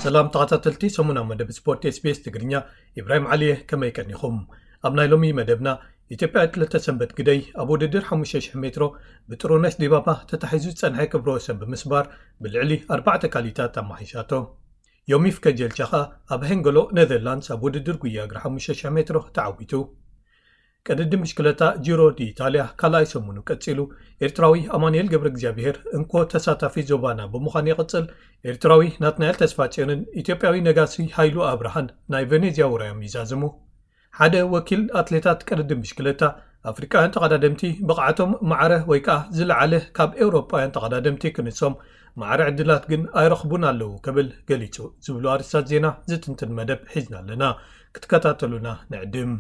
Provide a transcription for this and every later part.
ሰላም ተኸታተልቲ ሰሙናዊ መደብ ስፖርት SBS ትግርኛ፣ ኢብራሂም ዓሊየ፣ ከመይ ቀኒኹም? ኣብ ናይ ሎሚ መደብና፣ ኢትዮጵያ ትለተ ሰንበት ግደይ ኣብ ውድድር ሓሙሽተ ሽሕ ሜትሮ ብጥሩነሽ ዲባባ ተታሒዙ ዝጸንሐ ክብረ ወሰን ብምስባር ብልዕሊ ኣርባዕተ ካሊታት ኣማሒሻቶ። ዮሚፍ ከጀልቻ ኸኣ ኣብ ሄንገሎ ኔዘርላንድስ ኣብ ውድድር ጉያ እግሪ ሓሙሽተ ሽሕ ሜትሮ ተዓዊቱ። ቅድድም ብሽክለታ ጂሮ ዲ ኢታልያ ካልኣይ ሰሙኑ ቀጺሉ። ኤርትራዊ ኣማኑኤል ገብረ እግዚኣብሔር እንኮ ተሳታፊ ዞባና ብምዃን ይቕጽል። ኤርትራዊ ናትናኤል ተስፋጽዮንን ኢትዮጵያዊ ነጋሲ ሃይሉ ኣብርሃን ናይ ቬኔዝያ ውራዮም ይዛዝሙ። ሓደ ወኪል ኣትሌታት ቅድድም ብሽክለታ፣ ኣፍሪቃውያን ተቐዳደምቲ ብቕዓቶም ማዕረ ወይ ከኣ ዝለዓለ ካብ ኤውሮጳውያን ተቐዳደምቲ ክንሶም፣ ማዕረ ዕድላት ግን ኣይረኽቡን ኣለዉ ክብል ገሊጹ ዝብሉ ኣርእስታት ዜና ዝትንትን መደብ ሒዝና ኣለና። ክትከታተሉና ንዕድም።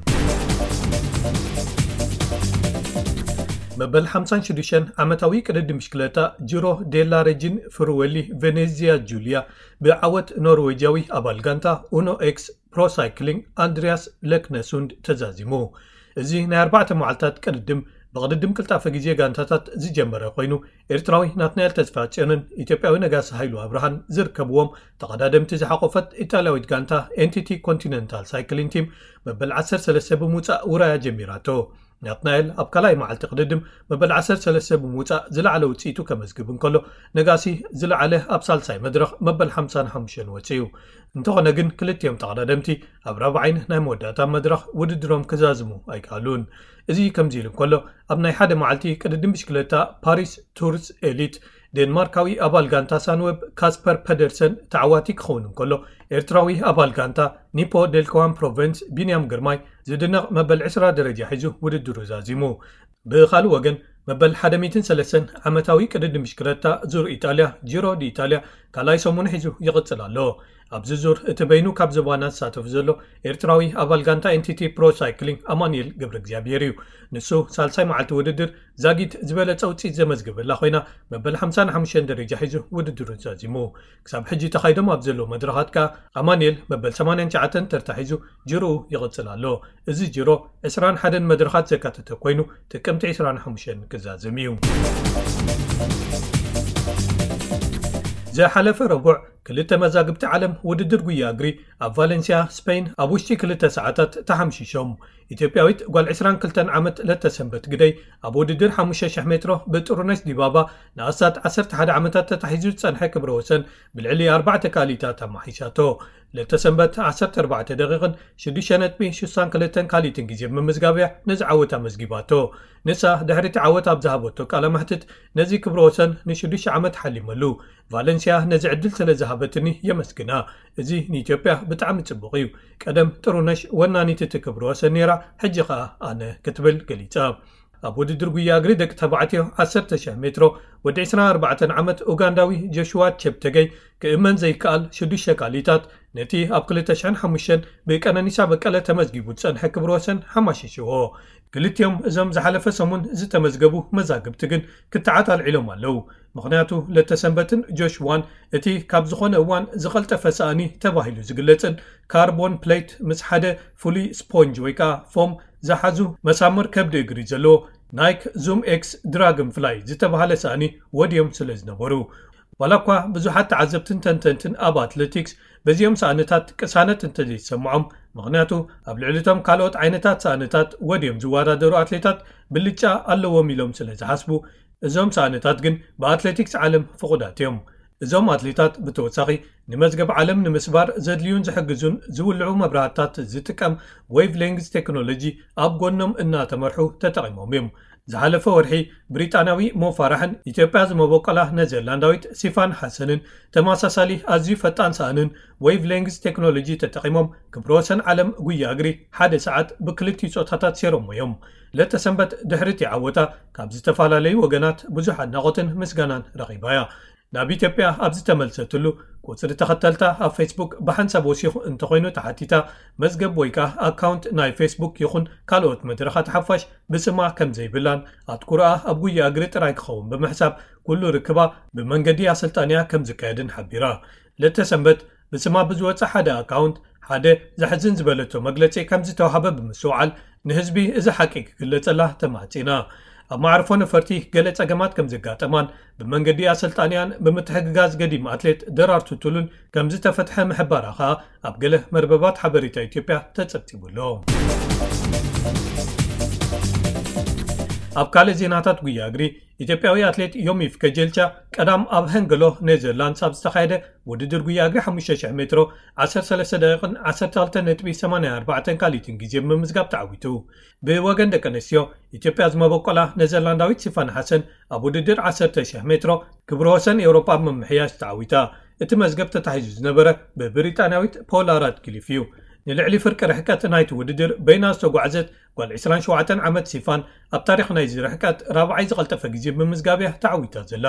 መበል ሓምሳን ሽዱሽተን ዓመታዊ ቅድድም ብሽክለታ ጂሮ ዴላ ሬጂን ፍሩዌሊ ቬኔዚያ ጁልያ ብዓወት ኖርዌጃዊ ኣባል ጋንታ ኡኖ ኤክስ ፕሮ ሳይክሊንግ ኣንድሪያስ ለክነሱንድ ተዛዚሙ። እዚ ናይ ኣርባዕተ መዓልታት ቅድድም ብቕድድም ቅልጣፈ ግዜ ጋንታታት ዝጀመረ ኮይኑ፣ ኤርትራዊ ናትናኤል ተስፋጽዮንን ኢትዮጵያዊ ነጋሲ ሃይሉ ኣብርሃን ዝርከብዎም ተቐዳደምቲ ዝሓቆፈት ኢጣልያዊት ጋንታ ኤንቲቲ ኮንቲነንታል ሳይክሊንግ ቲም መበል ዓሰርተ ሰለስተ ብምውጻእ ውራያ ጀሚራቶ። ናትናኤል ኣብ ካልኣይ መዓልቲ ቅድድም መበል ዓሰርተ ሰለስተ ብምውጻእ ዝለዓለ ውጽኢቱ ከመዝግብ እንከሎ፣ ነጋሲ ዝለዓለ ኣብ ሳልሳይ መድረኽ መበል ሓምሳን ሓሙሽተን ወጺኡ። እንተኾነ ግን ክልቲኦም ተቐዳደምቲ ኣብ ራብዓይን ናይ መወዳእታ መድረኽ ውድድሮም ክዛዝሙ ኣይከኣሉን። እዚ ከምዚ ኢሉ እንከሎ፣ ኣብ ናይ ሓደ መዓልቲ ቅድድም ብሽክለታ ፓሪስ ቱርስ ኤሊት፣ ዴንማርካዊ ኣባል ጋንታ ሳንዌብ ካስፐር ፐደርሰን ተዓዋቲ ክኸውን እንከሎ፣ ኤርትራዊ ኣባል ጋንታ ኒፖ ዴልኮዋን ፕሮቨንስ ቢንያም ግርማይ ዝድነቕ መበል ዕስራ ደረጃ ሒዙ ውድድሩ ዛዚሙ። ብኻልእ ወገን፣ መበል ሓደ ሚእትን ሰለስተን ዓመታዊ ቅድድም ብሽክለታ ዙር ኢጣልያ፣ ጂሮ ዲ ኢጣልያ፣ ካልኣይ ሰሙኑ ሒዙ ይቕጽል ኣሎ። ኣብዚ ዙር እቲ በይኑ ካብ ዞባና ዝሳተፍ ዘሎ ኤርትራዊ ኣባል ጋንታ ኤንቲቲ ፕሮ ሳይክሊንግ ኣማኑኤል ገብረ እግዚኣብሔር እዩ። ንሱ ሳልሳይ መዓልቲ ውድድር ዛጊት ዝበለጸ ውጽኢት ዘመዝገበላ ኮይና፣ መበል ሓምሳን ሓሙሽተን ደረጃ ሒዙ ውድድሩ ዛዚሙ። ክሳብ ሕጂ ተኻይዶም ኣብ ዘለዉ መድረኻት ከኣ ኣማኑኤል መበል ሰማንያን ትሽዓተን ተርታ ሒዙ ጅሮኡ ይቕጽል ኣሎ። እዚ ጅሮ ዕስራን ሓደን መድረኻት ዘካተተ ኮይኑ፣ ጥቅምቲ ዕስራን ሓሙሽተን ክዛዘም እዩ። ዝሓለፈ ረቡዕ ክልተ መዛግብቲ ዓለም ውድድር ጉያ እግሪ ኣብ ቫለንሲያ ስፔን ኣብ ውሽጢ ክልተ ሰዓታት ተሓምሺሾም። ኢትዮጵያዊት ጓል ዕስራን ክልተን ዓመት ለተሰንበት ግደይ ኣብ ውድድር ሓሙሽተ ሽሕ ሜትሮ ብጥሩነሽ ዲባባ ንኣስታት ዓሰርተ ሓደ ዓመታት ተታሒዙ ዝጸንሐ ክብረ ወሰን ብልዕሊ ኣርባዕተ ካልኢታት ኣማሒሻቶ። ለተሰንበት ዓሰርተ ኣርባዕተ ደቂቕን ሽዱሽተ ነጥቢ ሽሳን ክልተን ካልኢትን ግዜ ብምምዝጋብ እያ ነዚ ዓወት ኣመዝጊባቶ። ንሳ ድሕሪ እቲ ዓወት ኣብ ዝሃበቶ ቃለ መሕትት፣ ነዚ ክብረ ወሰን ንሽዱሽተ ዓመት ሓሊመሉ። ቫለንሲያ ነዚ ዕድል ስለ ዝሃበትኒ የመስግና። እዚ ንኢትዮጵያ ብጣዕሚ ጽቡቕ እዩ። ቀደም ጥሩነሽ ወናኒት እቲ ክብረ ወሰን ነይራ፣ ሕጂ ኸኣ ኣነ፣ ክትብል ገሊጻ። ኣብ ውድድር ጉያ እግሪ ደቂ ተባዕትዮ ዓሰርተ ሽሕ ሜትሮ፣ ወዲ ዕስራን ኣርባዕተን ዓመት ኡጋንዳዊ ጆሽዋ ቸፕተገይ ክእመን ዘይከኣል ሽዱሽተ ካልኢታት ነቲ ኣብ ክልተ ሽሕን ሓሙሽተን ብቀነኒሳ በቀለ ተመዝጊቡ ዝጸንሐ ክብረ ወሰን ሓማሺሽዎ። ክልቲኦም እዞም ዝሓለፈ ሰሙን ዝተመዝገቡ መዛግብቲ ግን ክትዓት ኣልዒሎም ኣለዉ። ምኽንያቱ ለተሰንበትን ጆሽዋን እቲ ካብ ዝኾነ እዋን ዝቐልጠፈ ሳእኒ ተባሂሉ ዝግለጽን ካርቦን ፕሌት ምስ ሓደ ፍሉይ ስፖንጅ ወይ ከኣ ፎም ዝሓዙ መሳምር ከብዲ እግሪ ዘለዎ ናይክ ዙም ኤክስ ድራግን ፍላይ ዝተባህለ ሳእኒ ወድዮም ስለ ዝነበሩ። ዋላ እኳ ብዙሓት ተዓዘብትን ተንተንትን ኣብ ኣትሌቲክስ በዚኦም ሳእንታት ቅሳነት እንተዘይተሰምዖም፣ ምኽንያቱ ኣብ ልዕሊ እቶም ካልኦት ዓይነታት ሳእንታት ወድዮም ዝወዳደሩ ኣትሌታት ብልጫ ኣለዎም ኢሎም ስለ ዝሓስቡ፣ እዞም ሳእንታት ግን ብኣትሌቲክስ ዓለም ፍቑዳት እዮም። እዞም ኣትሌታት ብተወሳኺ ንመዝገብ ዓለም ንምስባር ዘድልዩን ዝሕግዙን ዝውልዑ መብራህትታት ዝጥቀም ዌቭ ሌንግዝ ቴክኖሎጂ ኣብ ጎኖም እናተመርሑ ተጠቒሞም እዮም። ዝሓለፈ ወርሒ ብሪጣንያዊ ሞ ፋራሕን ኢትዮጵያ ዝመበቆላ ኔዘርላንዳዊት ሲፋን ሓሰንን ተመሳሳሊ ኣዝዩ ፈጣን ሳእንን ዌቭ ሌንግዝ ቴክኖሎጂ ተጠቒሞም ክብረ ወሰን ዓለም ጉያ እግሪ ሓደ ሰዓት ብክልቲኡ ጾታታት ሴሮሞ እዮም። ለተሰንበት ድሕሪ እቲ ዓወታ ካብ ዝተፈላለዩ ወገናት ብዙሕ ኣድናቖትን ምስጋናን ረኺባ እያ። ናብ ኢትዮጵያ ኣብ ዝተመልሰትሉ፣ ቁጽሪ ተኸተልታ ኣብ ፌስቡክ ብሓንሳብ ወሲኹ እንተኾይኑ ተሓቲታ፣ መዝገብ ወይ ከኣ ኣካውንት ናይ ፌስቡክ ይኹን ካልኦት መድረኻት ሓፋሽ ብስማ ከም ዘይብላን ኣትኩሮኣ ኣብ ጉያ እግሪ ጥራይ ክኸውን ብምሕሳብ፣ ኩሉ ርክባ ብመንገዲ ኣሰልጣኒኣ ከም ዝካየድን ሓቢራ። ለተሰንበት ብስማ ብዝወጸ ሓደ ኣካውንት ሓደ ዘሕዝን ዝበለቶ መግለጺ ከም ዝተዋህበ ብምስትውዓል፣ ንህዝቢ እዚ ሓቂ ክግለጸላ ተማሕጺና። ኣብ ማዕርፎ ነፈርቲ ገለ ጸገማት ከም ዘጋጠማን ብመንገዲ ኣሰልጣኒያን ብምትሕግጋዝ ገዲም ኣትሌት ደራርቱ ቱሉን ከም ዝተፈትሐ ምሕባራ ከኣ ኣብ ገለ መርበባት ሓበሬታ ኢትዮጵያ ተጸብጺቡ ኣሎ። ኣብ ካልእ ዜናታት ጉያ እግሪ፣ ኢትዮጵያዊ ኣትሌት ዮሚፍ ከጀልቻ ቀዳም ኣብ ሀንገሎ ኔዘርላንድስ ኣብ ዝተኻየደ ውድድር ጉያ እግሪ ሓሙሽተ ሽሕ ሜትሮ ዓሰርተ ሰለስተ ደቂቕን ዓሰርተ ክልተ ነጥቢ ሰማንያ ኣርባዕተ ካልኢትን ግዜ ብምምዝጋብ ተዓዊቱ። ብወገን ደቂ ኣንስትዮ፣ ኢትዮጵያ ዝመበቆላ ኔዘርላንዳዊት ሲፋን ሓሰን ኣብ ውድድር ዓሰርተ ሽሕ ሜትሮ ክብረ ወሰን ኤውሮጳ ብምምሕያሽ ተዓዊታ። እቲ መዝገብ ተታሒዙ ዝነበረ ብብሪጣንያዊት ፖላ ራድክሊፍ እዩ። ንልዕሊ ፍርቂ ርሕቀት ናይቲ ውድድር በይና ዝተጓዕዘት ጓል ዕስራን ሸውዓተን ዓመት ሲፋን ኣብ ታሪኽ ናይዚ ርሕቀት ራብዓይ ዝቐልጠፈ ግዜ ብምምዝጋብ እያ ተዓዊታ ዘላ።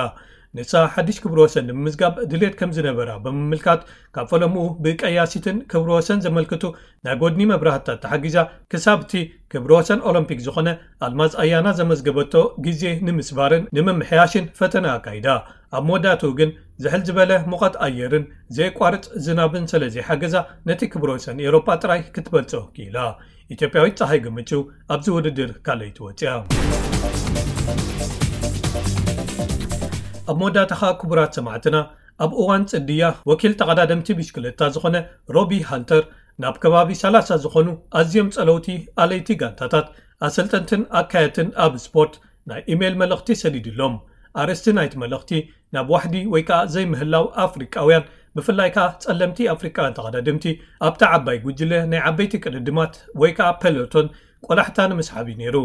ንሳ ሓድሽ ክብረ ወሰን ንምምዝጋብ ድሌት ከም ዝነበራ ብምምልካት፣ ካብ ፈለምኡ ብቀያሲትን ክብረ ወሰን ዘመልክቱ ናይ ጎድኒ መብራህትታት ተሓጊዛ ክሳብ እቲ ክብረ ወሰን ኦሎምፒክ ዝኾነ ኣልማዝ ኣያና ዘመዝገበቶ ግዜ ንምስባርን ንምምሕያሽን ፈተነ ኣካይዳ። ኣብ መወዳእትኡ ግን ዝሕል ዝበለ ሙቐት ኣየርን ዘየቋርጽ ዝናብን ስለ ዘይሓገዛ፣ ነቲ ክብረ ወሰን ኤውሮጳ ጥራይ ክትበልጾ ክኢላ። ኢትዮጵያዊት ጸሃይ ገመችው ኣብዚ ውድድር ካልኣይቲ ወጺኣ። ኣብ መወዳእታ ኸኣ ክቡራት ሰማዕትና፣ ኣብ እዋን ጽድያ ወኪል ተቐዳደምቲ ብሽክለታ ዝኾነ ሮቢ ሃንተር ናብ ከባቢ ሰላሳ ዝኾኑ ኣዝዮም ጸለውቲ ኣለይቲ ጋንታታት፣ ኣሰልጠንትን ኣካየትን ኣብ ስፖርት ናይ ኢሜይል መልእኽቲ ሰዲዱሎም። ኣርእስቲ ናይቲ መልእኽቲ ናብ ዋሕዲ ወይ ከኣ ዘይምህላው ኣፍሪቃውያን፣ ብፍላይ ከኣ ጸለምቲ ኣፍሪቃውያን ተቐዳደምቲ ኣብታ ዓባይ ጉጅለ ናይ ዓበይቲ ቅድድማት ወይ ከኣ ፔሎቶን ቆላሕታ ንምስሓብ እዩ ነይሩ።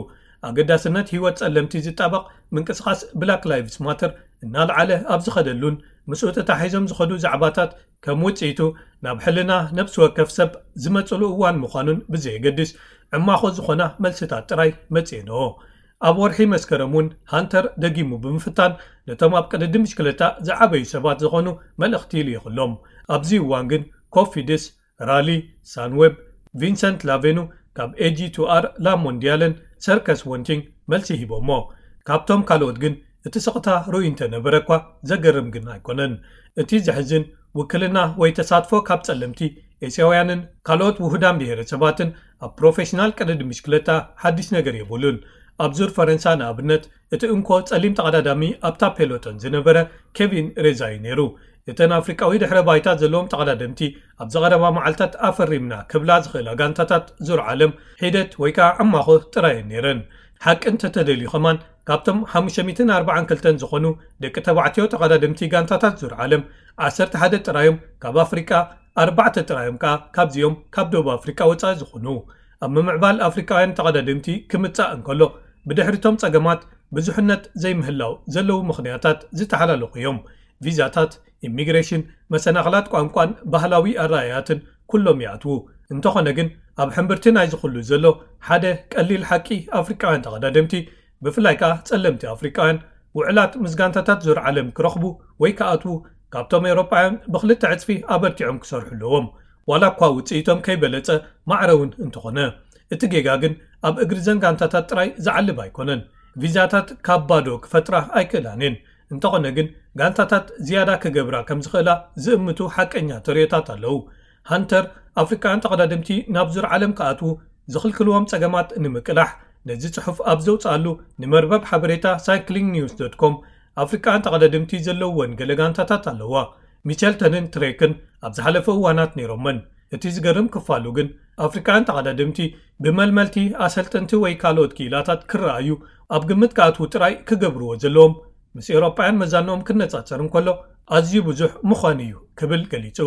ኣገዳስነት ህይወት ጸለምቲ ዝጣበቕ ምንቅስቓስ ብላክ ላይቭስ ማተር እናልዓለ ኣብ ዝኸደሉን ምስኡ ተታሒዞም ዝኸዱ ዛዕባታት ከም ውጽኢቱ ናብ ሕልና ነብሲ ወከፍ ሰብ ዝመጽሉ እዋን ምዃኑን ብዘየገድስ ዕማኾ ዝኾና መልስታት ጥራይ መጽኤንኦ። ኣብ ወርሒ መስከረም እውን ሃንተር ደጊሙ ብምፍታን ነቶም ኣብ ቅድድም ብሽክለታ ዝዓበዩ ሰባት ዝኾኑ መልእኽቲ ይልኢኹሎም። ኣብዚ እዋን ግን ኮፊድስ፣ ራሊ፣ ሳንዌብ፣ ቪንሰንት ላቬኑ ካብ ኤጂ ቱ ኣር ላ ሞንዲያልን ሰርከስ ወንቲንግ መልሲ ሂቦሞ። ካብቶም ካልኦት ግን እቲ ስቕታ ርኡይ እንተነበረ እኳ ዘገርም ግን ኣይኮነን። እቲ ዘሕዝን ውክልና ወይ ተሳትፎ ካብ ጸለምቲ ኤስያውያንን ካልኦት ውሁዳን ብሄረሰባትን ኣብ ፕሮፌሽናል ቅድድም ብሽክለታ ሓድሽ ነገር የብሉን። ኣብ ዙር ፈረንሳ ንኣብነት እቲ እንኮ ጸሊም ተቐዳዳሚ ኣብታ ፔሎቶን ዝነበረ ኬቪን ሬዛ እዩ ነይሩ። እተን ኣፍሪቃዊ ድሕረ ባይታ ዘለዎም ተቐዳደምቲ ኣብዚ ቀረባ መዓልታት ኣፈሪምና ክብላ ዝኽእላ ጋንታታት ዙር ዓለም ሒደት ወይ ከዓ ዕማኾ ጥራይ እየን ነይረን። ሓቂ እንተተደልዩ ከማን ካብቶም ሓሙሽተ ሚእትን ኣርባዓን ክልተን ዝኾኑ ደቂ ተባዕትዮ ተቐዳደምቲ ጋንታታት ዙር ዓለም ዓሰርተ ሓደ ጥራዮም ካብ ኣፍሪቃ፣ ኣርባዕተ ጥራዮም ከዓ ካብዚኦም ካብ ደቡብ ኣፍሪቃ ወፃኢ ዝኾኑ። ኣብ ምምዕባል ኣፍሪቃውያን ተቐዳደምቲ ክምጻእ እንከሎ ብድሕሪቶም ጸገማት ብዙሕነት ዘይምህላው ዘለዉ ምኽንያታት ዝተሓላለኹ እዮም። ቪዛታት፣ ኢሚግሬሽን፣ መሰናኽላት ቋንቋን ባህላዊ ኣረኣእያትን ኩሎም ይኣትዉ። እንተኾነ ግን ኣብ ሕምብርቲ ናይዚ ኩሉ ዘሎ ሓደ ቀሊል ሓቂ ኣፍሪቃውያን ተቐዳደምቲ ብፍላይ ከኣ ጸለምቲ ኣፍሪቃውያን ውዕላት ምስ ጋንታታት ዙር ዓለም ክረኽቡ ወይ ክኣትዉ ካብቶም ኤውሮጳውያን ብኽልተ ዕጽፊ ኣበርቲዖም ክሰርሑ ኣለዎም። ዋላ እኳ ውጽኢቶም ከይበለጸ ማዕረ እውን እንተኾነ። እቲ ጌጋ ግን ኣብ እግሪ ዘን ጋንታታት ጥራይ ዝዓልብ ኣይኮነን። ቪዛታት ካብ ባዶ ክፈጥራ ኣይክእላን እየን። እንተኾነ ግን ጋንታታት ዝያዳ ክገብራ ከም ዝኽእላ ዝእምቱ ሓቀኛ ተርእዮታት ኣለዉ። ሃንተር ኣፍሪቃውያን ተቐዳደምቲ ናብ ዙር ዓለም ክኣትዉ ዝኽልክልዎም ጸገማት ንምቅላሕ ነዚ ጽሑፍ ኣብ ዘውጽኣሉ ንመርበብ ሓበሬታ ሳይክሊንግ ኒውስ ዶት ኮም ኣፍሪቃውያን ተቐዳደምቲ ዘለውወን ገለ ጋንታታት ኣለዋ። ሚቸልተንን ትሬክን ኣብ ዝሓለፈ እዋናት ነይሮመን። እቲ ዝገርም ክፋሉ ግን ኣፍሪቃውያን ተቐዳደምቲ ብመልመልቲ ኣሰልጠንቲ ወይ ካልኦት ክኢላታት ክረኣዩ ኣብ ግምት ክኣትዉ ጥራይ ክገብርዎ ዘለዎም ምስ ኤውሮጳውያን መዛንኦም ክነጻጸር እንከሎ ኣዝዩ ብዙሕ ምዃኑ እዩ ክብል ገሊጹ።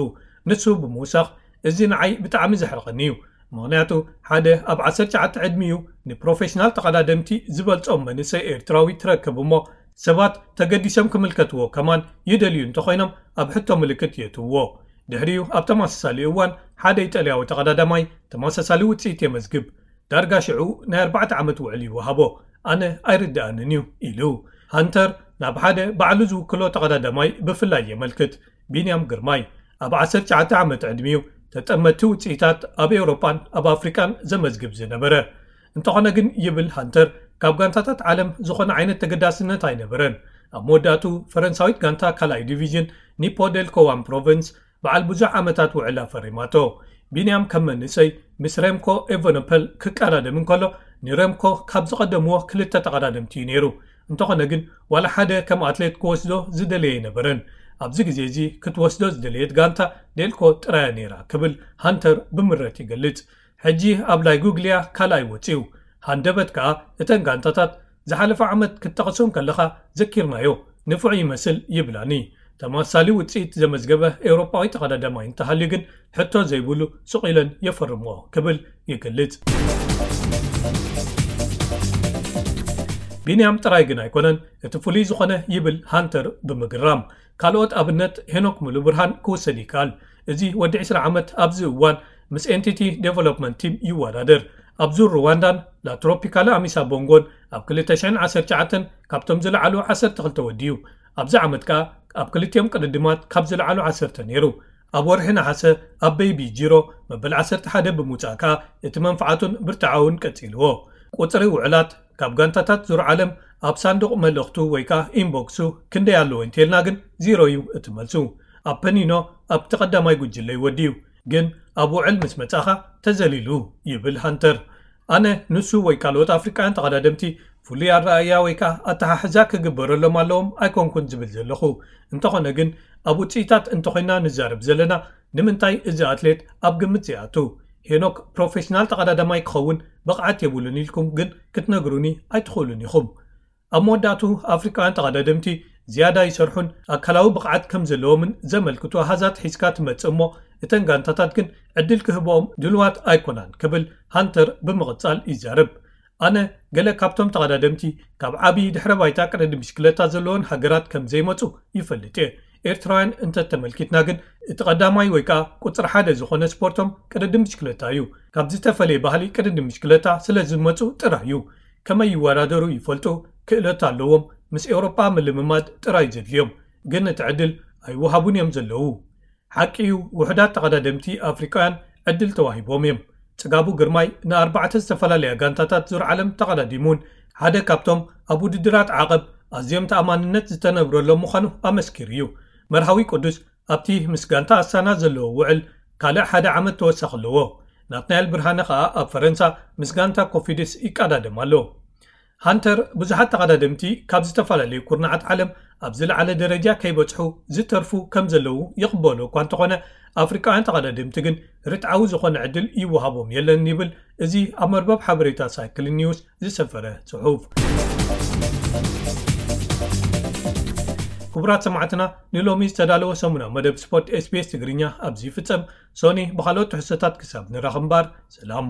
ንሱ ብምውሳኽ እዚ ንዓይ ብጣዕሚ ዘሕርቐኒ እዩ። ምኽንያቱ ሓደ ኣብ ዓሰርተ ትሽዓተ ዕድሚኡ ንፕሮፌሽናል ተቐዳደምቲ ዝበልጾም መንእሰይ ኤርትራዊ ትረክብ እሞ ሰባት ተገዲሶም ክምልከትዎ ከማን ይደልዩ እንተኾይኖም ኣብ ሕቶ ምልክት የእትውዎ። ድሕሪኡ ኣብ ተመሳሳሊ እዋን ሓደ ኢጣልያዊ ተቐዳዳማይ ተመሳሳሊ ውጽኢት የመዝግብ። ዳርጋ ሽዑ ናይ ኣርባዕተ ዓመት ውዕል ይወሃቦ። ኣነ ኣይርድኣንን እዩ ኢሉ። ሃንተር ናብ ሓደ ባዕሉ ዝውክሎ ተቐዳዳማይ ብፍላይ የመልክት። ቢንያም ግርማይ ኣብ ዓሰርተ ትሽዓተ ዓመት ዕድሚኡ ተጠመቲ ውጽኢታት ኣብ ኤውሮጳን ኣብ ኣፍሪቃን ዘመዝግብ ዝነበረ። እንተኾነ ግን ይብል ሃንተር ካብ ጋንታታት ዓለም ዝኾነ ዓይነት ተገዳስነት ኣይነበረን። ኣብ መወዳእቱ ፈረንሳዊት ጋንታ ካልኣይ ዲቪዥን ኒፖ ዴል ኮዋን ፕሮቨንስ በዓል ብዙሕ ዓመታት ውዕል ኣፈሪማቶ። ቢንያም ከም መንእሰይ ምስ ሬምኮ ኤቨኖፐል ክቀዳደም እንከሎ፣ ንሬምኮ ካብ ዝቐደምዎ ክልተ ተቐዳደምቲ እዩ ነይሩ። እንተኾነ ግን ዋላ ሓደ ከም ኣትሌት ክወስዶ ዝደለየ ኣይነበረን። ኣብዚ ግዜ እዚ ክትወስዶ ዝደለየት ጋንታ ዴልኮ ጥራያ ነይራ ክብል ሃንተር ብምረት ይገልጽ። ሕጂ ኣብ ላይጉግሊያ ካልኣይ ወጺኡ። ሃንደበት ከኣ እተን ጋንታታት ዝሓለፈ ዓመት ክትጠቕሶም ከለኻ ዘኪርናዮ ንፉዕ ይመስል ይብላኒ። ተመሳሳሊ ውጽኢት ዘመዝገበ ኤውሮጳዊ ተቐዳዳማይ እንተሃልዩ ግን ሕቶ ዘይብሉ ሱቕ ኢለን የፈርምኦ ክብል ይገልጽ። ቢንያም ጥራይ ግን ኣይኮነን እቲ ፍሉይ ዝኾነ ይብል ሃንተር ብምግራም። ካልኦት ኣብነት ሄኖክ ሙሉ ብርሃን ክውሰድ ይከኣል። እዚ ወዲ ዕስራ ዓመት ኣብዚ እዋን ምስ ኤንቲቲ ዴቨሎፕመንት ቲም ይወዳደር። ኣብ ዙር ሩዋንዳን ላትሮፒካለ ኣሚሳ ቦንጎን ኣብ ክልተ ሽሕን ዓሰርተ ትሽዓተን ካብቶም ዝለዓሉ ዓሰርተ ክልተ ወዲ እዩ። ኣብዚ ዓመት ከኣ ኣብ ክልቲኦም ቅድድማት ካብ ዝለዓሉ ዓሰርተ ነይሩ። ኣብ ወርሒ ነሓሰ ኣብ ቤይቢ ጂሮ መበል ዓሰርተ ሓደ ብምውጻእ ከኣ እቲ መንፍዓቱን ብርትዓውን ቀጺልዎ። ቁጽሪ ውዕላት ካብ ጋንታታት ዙር ዓለም ኣብ ሳንዱቕ መልእኽቱ ወይ ከኣ ኢንቦክሱ ክንደይ ኣለዎ እንተልና ግን ዚሮ እዩ እቲ መልሱ። ኣብ ፐኒኖ ኣብቲ ቀዳማይ ጉጅለ ይወዲ እዩ፣ ግን ኣብ ውዕል ምስ መጻኻ ተዘሊሉ ይብል ሃንተር። ኣነ ንሱ ወይ ካልኦት ኣፍሪቃውያን ተቐዳደምቲ ፍሉይ ኣረኣእያ ወይ ከኣ ኣተሓሕዛ ክግበረሎም ኣለዎም ኣይኮንኩን ዝብል ዘለኹ። እንተኾነ ግን ኣብ ውጽኢታት እንተኾይና ንዛረብ ዘለና ንምንታይ እዚ ኣትሌት ኣብ ግምት ዘይኣቱ? ሄኖክ ፕሮፌሽናል ተቐዳዳማይ ክኸውን ብቕዓት የብሉን ኢልኩም ግን ክትነግሩኒ ኣይትኽእሉን ኢኹም። ኣብ መወዳእቱ ኣፍሪቃውያን ተቐዳደምቲ ዝያዳ ይሰርሑን ኣካላዊ ብቕዓት ከም ዘለዎምን ዘመልክቱ ኣሃዛት ሒዝካ ትመጽእ እሞ እተን ጋንታታት ግን ዕድል ክህብኦም ድልዋት ኣይኮናን ክብል ሃንተር ብምቕጻል ይዛረብ። ኣነ ገለ ካብቶም ተቐዳደምቲ ካብ ዓቢ ድሕረ ባይታ ቅድድም ብሽክለታ ዘለዎን ሃገራት ከም ዘይመጹ ይፈልጥ እየ። ኤርትራውያን እንተተመልኪትና ግን እቲ ቀዳማይ ወይ ከኣ ቁጽሪ ሓደ ዝኾነ ስፖርቶም ቅድድም ብሽክለታ እዩ። ካብ ዝተፈለየ ባህሊ ቅድድም ብሽክለታ ስለ ዝመጹ ጥራይ እዩ። ከመይ ይወዳደሩ ይፈልጡ፣ ክእለት ኣለዎም፣ ምስ ኤውሮጳ ምልምማድ ጥራይ ዘድልዮም። ግን እቲ ዕድል ኣይወሃቡን እዮም ዘለዉ። ሓቂ እዩ፣ ውሑዳት ተቐዳደምቲ ኣፍሪቃውያን ዕድል ተዋሂቦም እዮም። ጽጋቡ ግርማይ ንኣርባዕተ ዝተፈላለያ ጋንታታት ዙር ዓለም ተቐዳዲሙን ሓደ ካብቶም ኣብ ውድድራት ዓቐብ ኣዝዮም ተኣማንነት ዝተነብረሎም ምዃኑ ኣመስኪሩ እዩ። መርሃዊ ቅዱስ ኣብቲ ምስ ጋንታ ኣስታና ዘለዎ ውዕል ካልእ ሓደ ዓመት ተወሳኺ ኣለዎ። ናትናኤል ብርሃነ ከኣ ኣብ ፈረንሳ ምስ ጋንታ ኮፊድስ ይቀዳደም ኣሎ። ሃንተር ብዙሓት ተቐዳደምቲ ካብ ዝተፈላለዩ ኩርናዓት ዓለም ኣብ ዝለዓለ ደረጃ ከይበጽሑ ዝተርፉ ከም ዘለዉ ይቕበሎ እኳ እንተኾነ ኣፍሪቃውያን ተቐዳደምቲ ግን ርትዓዊ ዝኾነ ዕድል ይወሃቦም የለን ይብል እዚ ኣብ መርበብ ሓበሬታ ሳይክል ኒውስ ዝሰፈረ ጽሑፍ። ክቡራት ሰማዕትና ንሎሚ ዝተዳለወ ሰሙናዊ መደብ ስፖርት ኤስቢኤስ ትግርኛ ኣብዚ ይፍጸም። ሶኒ ብኻልኦት ትሕዝቶታት ክሳብ ንራኸብ እምበር ሰላም።